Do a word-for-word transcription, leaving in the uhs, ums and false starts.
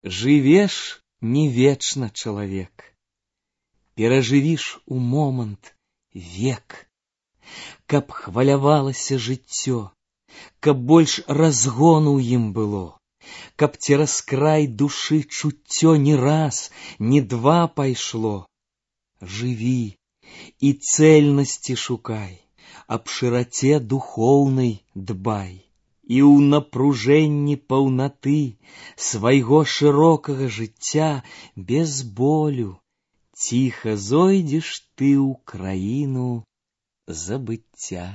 Жывеш не вечна, чалавек, перажывіш у момант век. Каб хвалявалася жыццё, каб больш разгону ў ім было, каб цераз край душы чуццё не раз, не два пайшло. Жыві і цэльнасці шукай, аб шыраце духоўнай дбай. І ў напружэнні паўнаты свайго шырокага жыцця без болю ціха зойдзеш ты ў краіну забыцця.